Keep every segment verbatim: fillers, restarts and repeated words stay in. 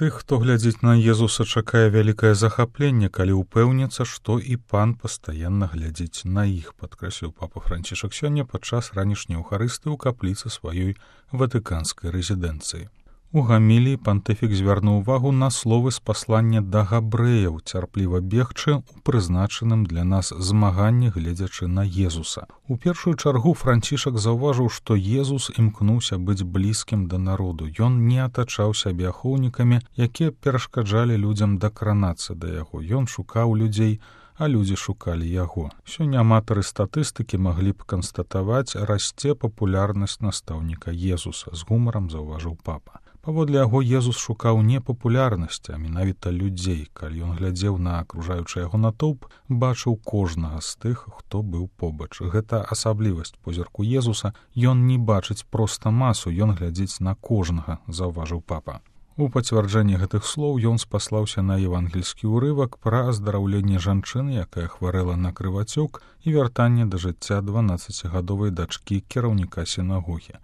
Тых, хто глядзіць на Езуса, чакае вялікае захапленне, калі ўпэўніцца, што і пан пастаянна глядзіць на іх, падкрэсліў папа Францішак сёння падчас ранішняй еўхарыстыі ў капліцы сваёй ватыканскай рэзідэнцыі. У гаміліі пантыфік звярнуў увагу на словы з паслання да габрэяў, цярпліва бегчы ў прызначаным для нас змаганні, гледзячы на Езуса. У першую чаргу Францішак заўважыў, што Езус імкнуўся быць блізкім да народу. Ён не атачаў сябе ахоўнікамі, якія перашкаджалі людзям дакранацца да яго. Ён шукаў людзей, а людзі шукалі яго. Сёння аматары статыстыкі маглі б канстатаваць, расце папулярнасць настаўніка Езуса, з гумарам заўважыў папа. Паводле яго Езус шукаў не папулярнасці, а менавіта людзей. Калі ён глядзеў на акружаючы яго натоўп, бачыў кожнага з тых, хто быў побач. Гэта асаблівасць позірку Езуса. Ён не бачыць проста масу, ён глядзіць на кожнага, заўважыў папа. У пацвярджэнні гэтых слоў ён спаслаўся на евангельскі ўрывак пра аздараўленне жанчыны, якая хварэла на крывацёк, і вяртанне да жыцця дванаццацігадовай дачкі кіраўніка сінагогі.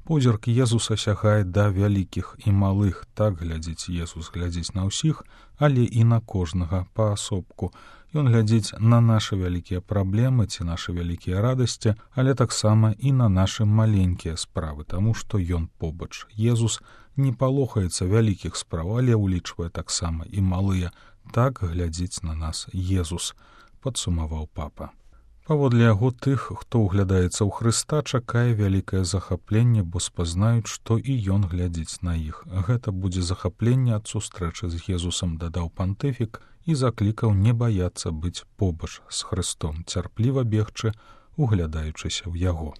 Позірк Езуса сягае да вялікіх і малых. Так глядзіць Езус, глядзіць на ўсіх, але і на кожнага паасобку. Ён глядзіць на нашы вялікія праблемы ці нашы вялікія радасці, але таксама і на нашы маленькія справы, таму што ён побач. Езус не палохаецца вялікіх спраў, але ўлічвае таксама і малыя. Так глядзіць на нас Езус, падсумаваў папа. Паводле яго тых, хто ўглядаецца ў Хрыста, чакае вялікае захапленне, бо спазнаюць, што і ён глядзіць на іх. Гэта будзе захапленне ад сустрэчы з Езусам, дадаў пантыфік і заклікаў не баяцца быць побач з Хрыстом, цярпліва бегчы, углядаючыся ў яго.